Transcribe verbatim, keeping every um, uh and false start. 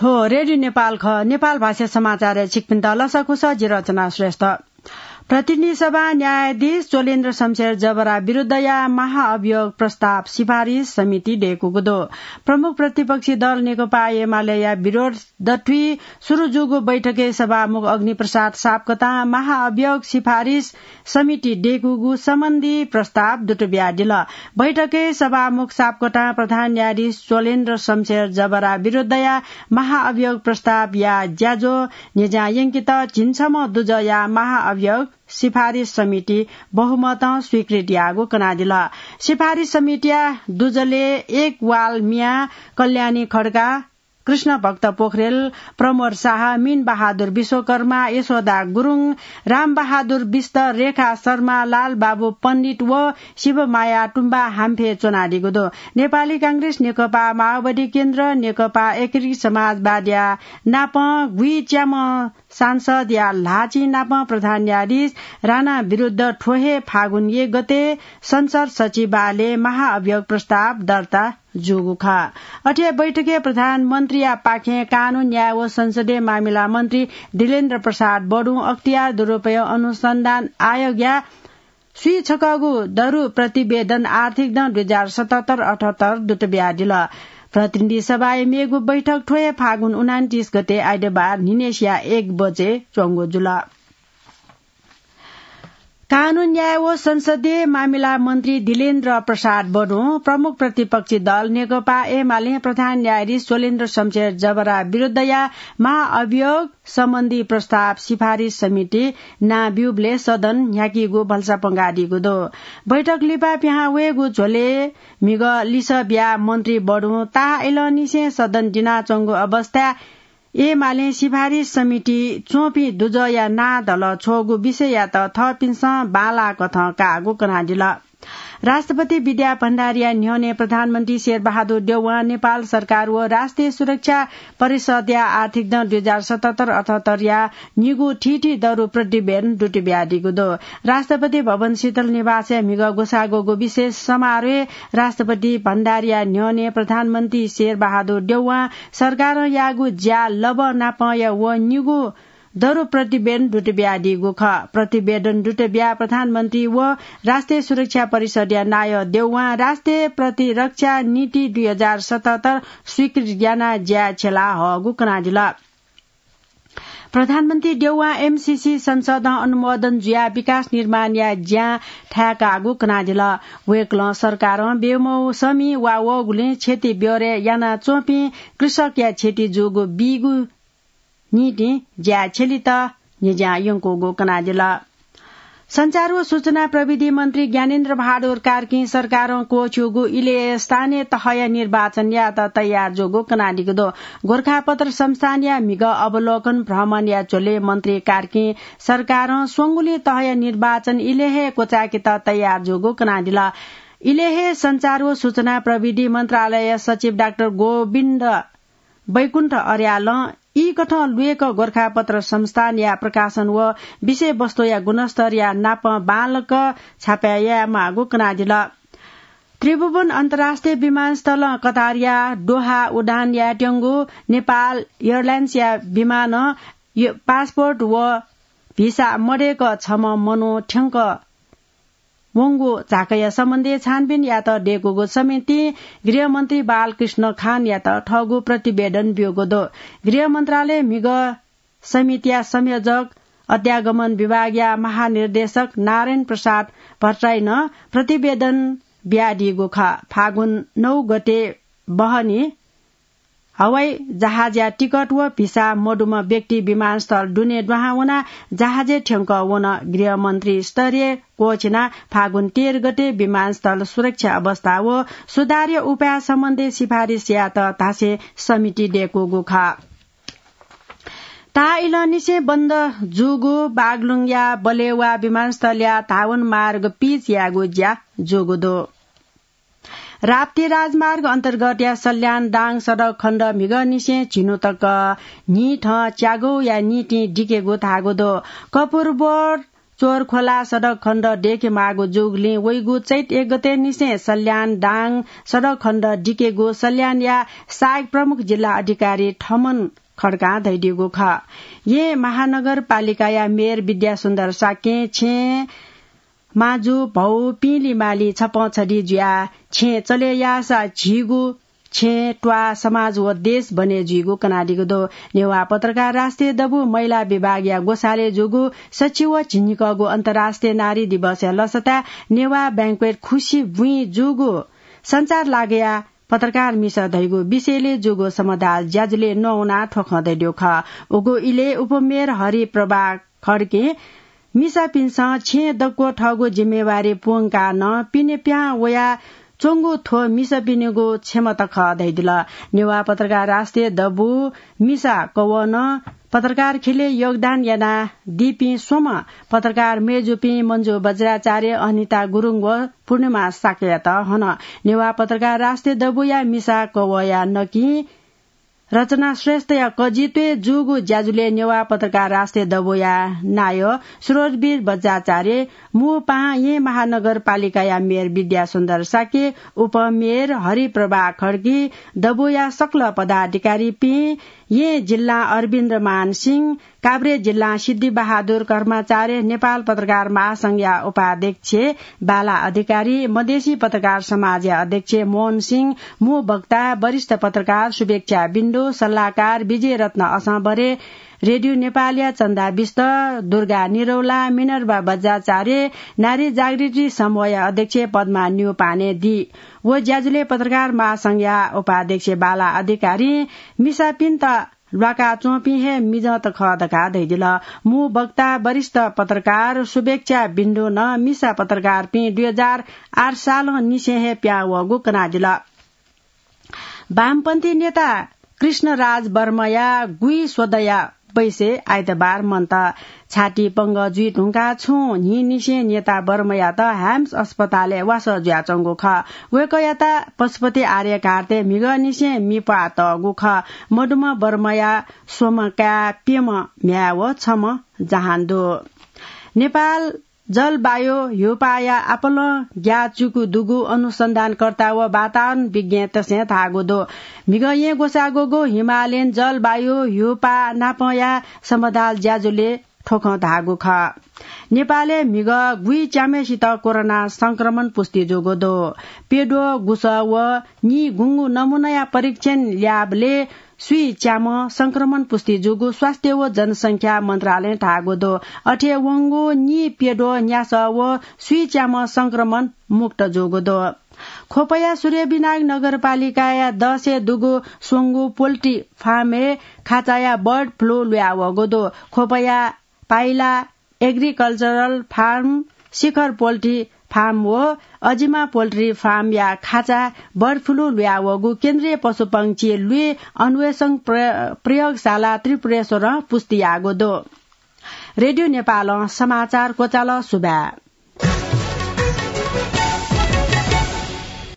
हो, रेडियो नेपाल खः। नेपाल भाषा समाचारय् छिकपिन्त लसकुस, जि रचना श्रेष्ठ। प्रतिनिधि सभा न्यायाधीश चोलेन्द्र शमशेर जबरा विरुद्धया महाअभियोग प्रस्ताव सिफारिस समिति दय्‌कूगु दु। प्रमुख प्रतिपक्षी दल नेकपा एमालेया विरोध दथुइ सुरु जूगु बैठकय् सभामुख अग्निप्रसाद सापकोटां महाअभियोग सिफारिस समिति दय्‌कूगु सम्बन्धी प्रस्ताव दुत बियादिल। बैठकय् सभामुख सापकोटां प्रधान न्यायाधीश चोलेन्द्र शमशेर जबरा विरुद्धया महाअभियोग प्रस्तावया ज्याझ्वः न्ह्यज्यां यंकेत झिंछम्ह दुजःया महाअभियोग सिफारिस समिति बहुमतं स्वीकृत याःगु कनादिल। सिफारिस समितिया दुजलय् एक वाल मियाँ, कल्याणी खड्का, कृष्णभक्त पोखरेल, प्रमोद शाह, मीन बहादुर विश्वकर्मा, यशोदा गुरुङ, राम बहादुर विष्ट, रेखा शर्मा, लाल बाबु पण्डित व शिवमाया तुम्बा हाम्फे च्वनादीगु दु। नेपाली कांग्रेस, नेकपा माओवादी केन्द्र, नेकपा एकीकृत समाजवादया नापं गुइच्याम्ह सांसदया ल्हाःचिं नापं प्रधान न्यायाधीश राणा विरुद्ध थ्व हे फागुन एक गते संसद सचिवालयय् महाअभियोग प्रस्ताव दर्ता जूगु खः। अथे बैठकय् प्रधानमन्त्रीया पाखें कानून, न्याय व संसदीय मामिला मन्त्री दिलेन्द्र प्रसाद बडुं अख्तियार दुरुपयोग अनुसन्धान आयोगया स्वीछकःगु दरु प्रतिवेदन आर्थिक दँ दुई हजार सतहत्तर अठहत्तर दुत बियादिल। प्रतिनिधि सभाय् मेगु बैठक थ्व हे फागुन उनान्तीस गते आइतबार न्हिनेसिया एक बजे च्वंगु जुल। कानून, न्याय व संसदीय मामिला मन्त्री दिलेन्द्र प्रसाद बडुं प्रमुख प्रतिपक्षी दल नेकपा एमालें प्रधान न्यायाधीश चोलेन्द्र शमशेर जबरा विरुद्धया महाअभियोग सम्बन्धी प्रस्ताव सिफारिस समिति नां ब्यूबलय् सदन न्ह्याकीगु भलसा पंगादीगु दु। बैठक लिपा पिहां वयेगु झ्वलय् म्हिगः लिसः बियाः मन्त्री बडुं ताः इलंनिसें सदन दिनाच्वंगु अवस्थाय् एमालें सिफारिस समिति च्वंपिं दुजःया नां धलः छ्वःगु विषययात थःपिन्सं बांलाःकथं काःगु कनादिल। राष्ट्रपति विद्या भण्डारीया न्ह्यःने प्रधानमन्त्री शेरबहादुर देउवां नेपाल सरकार व राष्ट्रिय सुरक्षा परिषदया आर्थिक दँ दुई हजार सतहत्तर अठहत्तरया निगू थीथी दरु प्रतिवेदन दुत बियादीगु दु। राष्ट्रपति भवन शीतल निवासय् म्हिगः ग्वसाः ग्वःगु विशेष समारोहय् राष्ट्रपति भण्डारीया न्ह्यःने प्रधानमन्त्री शेरबहादुर देउवां सरकारं याःगु ज्या लबः नापंया व निगू दरु प्रतिवेदन दुत बियादीगु खः। प्रतिवेदन दुत बियाः प्रधानमन्त्री व राष्ट्रिय सुरक्षा परिषदया नायः देउवां राष्ट्रिय प्रतिरक्षा नीति दुई हजार सतहत्तर स्वीकृत यानाः ज्याय् छ्यला हःगु कनादिल। प्रधानमन्त्री देउवां एमसीसी संसदं अनुमोदन जुयाः विकास निर्माणया ज्यां थाय्‌काःगु कनादिल। वय्‌कलं सरकारं बेमौसमी वा वःगुलिं क्षति ब्यहोरय् यानाच्वंपिं कृषकया क्षति जूगु बीगु निंतिं ज्याय् छ्यलेत न्ह्यज्यां यंकूगु कनादिल। सञ्चार व सूचना प्रविधि मन्त्री ज्ञानेन्द्र बहादुर कार्कीं सरकारं क्वःछ्यूगु इलय् स्थानीय तहया निर्वाचन यायेत तयार जूगु कनादीगु दु। गोरखापत्र संस्थानया म्हिगः अवलोकन भ्रमणया झ्वलय् मन्त्री कार्कीं सरकारं स्वंगुलिं तहया निर्वाचन इलय् हे क्वचायेकेत तयार जूगु कनादिल। इलय् हे सञ्चार व सूचना प्रविधि मन्त्रालय सचिव डाक्टर गोविन्द वैकुण्ठ अर्यालं ई कथं लुय्‌क गोरखापत्र संस्थानया प्रकाशन व विषयवस्तुया गुणस्तरया नाप बांलाक छापय् यायेमाःगु कनादिल। त्रिभुवन अन्तर्राष्ट्रिय विमानस्थलं कतारया दोहा उडान यायेत्यंगु नेपाल एयरलाइन्सया विमानं य-, पासपोर्ट व भिसा मदय्‌क छम्ह मनू थ्यंक वंगु झाँक्रीया सम्बन्धय् छानबिन यायेत दय्‌कूगु समितिं गृहमन्त्री बालकृष्ण खानयात थःगु प्रतिवेदन ब्यूगु दु। गृह मन्त्रालय म्हिगः समितिया संयोजक अध्यागमन विभागया महानिर्देशक नारायण प्रसाद भट्टराईं नं प्रतिवेदन बियादीगु खः। फागुन नौ गते बहनी हवाई जहाजया टिकट व भिसा मदुम्ह व्यक्ति विमानस्थल दुने दुहां वनाः जहाजय् थ्यंक वन। गृहमन्त्री स्तरीय क्वःछिनाः फागुन तेह्र गते विमानस्थल सुरक्षा अवस्था व सुधारया उपाय सम्बन्धी सिफारिस यायेत धासें समिति दय्‌कूगु खः। ताः इलंनिसें बन्द जूगु बागलुङया बलेवा विमानस्थलया धावन मार्ग पिच यायेगु ज्या जूगु दु। राप्ती राजमार्ग अन्तर्गतया सल्यान दाङ सडक खण्ड म्हिगःनिसें झिन्हु तक न्हिथं च्यागूया निंतिं दिकेगु धाःगु दु। कपुरबोर चोरखोला सडक खण्ड देखे माःगु जूगुलिं वइगु चैत एक गते निसें सल्यान दाङ सडक खण्ड दिकेगु सल्यानया सहायक प्रमुख जिल्ला अधिकारी थमन खड्कां धयादीगु खः। येँ महानगरपालिकाया मेयर विद्यासुन्दर शाक्यं छेँ माजु, भौ, पिंलि मालि छपं छधि जुयाः छेँ चले याःसा झीगु छेँ, त्वाः, समाज व देश बने जुइगु कनादीगु दु। नेवाः पत्रकार राष्ट्रिय दबू महिला विभागया ग्वसालय् जूगु सच्छि व झिंनिकःगु अन्तर्राष्ट्रिय नारी दिवसया लसताय् नेवाः banquet खुसि बुँइ जूगु सञ्चार लागया पत्रकार मिसा धइगु विषयले जूगु समदाल ज्याझ्वलय् नवाना थ्व खँ धयादीगु खः। उगु इलय् उपमेयर हरिप्रभा खड्कें मिसापिन्सं छेँ दक्व थःगु जिम्मेवारी पूवंकाः नं पिने पिहां वया च्वंगु थ्व मिसापिनिगु क्षमता खः धयादिल। नेवाः पत्रकार राष्ट्रिय दबू मिसा कवं पत्रकार ख्यलय् योगदान यानादीपिं स्वम्ह पत्रकार मय्जुपिं मञ्जु बज्राचार्य, अनिता गुरुङ व पूर्णिमा शाक्ययात हन। नेवाः पत्रकार राष्ट्रिय दबूया मिसा कवंया नकिं रचना श्रेष्ठया कजित्वय् जूगु ज्याझ्वलय् नेवाः पत्रकार राष्ट्रिय दबूया नायः सुरजवीर बज्राचार्य, मू पाहां येँ महानगरपालिकाया मेयर विद्यासुन्दर शाक्य, उपमेयर हरिप्रभा खड्गी, दबूया सकल पदाधिकारीपिं, येँ जिल्लां अरविन्द मान सिंह, काभ्रे जिल्लां सिद्धिबहादुर कर्माचार्य, नेपाल पत्रकार महासंघया उपाध्यक्ष बाला अधिकारी, मधेसी पत्रकार समाजया अध्यक्ष मोहन सिंह, मू वक्ता वरिष्ठ पत्रकार शुभेच्छा बिन्दु, सल्लाहकार विजयरत्न असंबरे, रेडियो नेपालया चन्दा बिष्ट, दुर्गा निरौला, मिनर्भा बज्राचार्य, नारी जागृति समूहया अध्यक्ष पद्मा न्यौपाने दी। व ज्याझ्वलय् पत्रकार महासंघया उपाध्यक्ष बाला अधिकारीं मिसापिन्त ल्वाकाच्वंपिं हे मिजंत खः धकाः धयादिल। मू वक्ता वरिष्ठ पत्रकार शुभेच्छा बिन्दुं नं मिसा पत्रकारपिं दुई हजार आठ सालंनिसें हे पिहां वःगु कनादिल। वामपन्थी नेता कृष्णराज वर्माया गुइस्वदँया बैसे आइतबार मन्त। छाती पंगः जुइ धुंकाः छुं न्हिंनिसें नेता वर्मायात ह्याम्स अस्पतालय् वासः जुयाच्वंगु खः। वय्कःयात पशुपति आर्यघाटय् म्हिगःनिसें मि प्वाः तःगु खः। मदुम्ह वर्माया स्वम्ह काय्, प्यम्ह म्ह्याय् व छम्ह जहान दु। नेपाल जलवायु ह्यूपाःया आपालं ग्याःचिकु दुगु अनुसन्धानकर्ता व वातावरण विज्ञतय्सं धाःगु दु। म्हिगः येँ ग्वसाः ग्वःगु हिमालयन जलवायु ह्यूपाः नापंया समदाल ज्याझ्वलय् थ्व खँ धाःगु खः। नेपालय् म्हिगः गुइच्याम्हय्सित कोरोना संक्रमण पुष्टि जूगु दु। प्यद्वः गुसः व नीगुंगू नमूनाया परीक्षण ल्याबलय् स्वीच्याम्ह संक्रमण पुष्टि जूगु स्वास्थ्य व जनसंख्या मन्त्रालयं धाःगु दु। अथे वंगु नीप्यद्वः न्यासः व स्वीच्याम्ह संक्रमण मुक्त जूगु दु। ख्वपया सूर्यविनायक नगरपालिकाया दसय् दुगु स्वंगू पोल्ट्री फार्मय् खाचाया bird flu लुयावःगु दु। ख्वपया पाइला agricultural farm, शिखर पोल्ट्री फार्म व अजिमा पोल्ट्री फार्मया खाचा bird flu लुयावःगु केन्द्रीय पशुपंक्षी लुइ अन्वेषण प्र-, प्रयोगशाला त्रिपुरेश्वरं पुष्टि याःगु दु। रेडियो नेपालं समाचार क्वचाल। सुभाय्।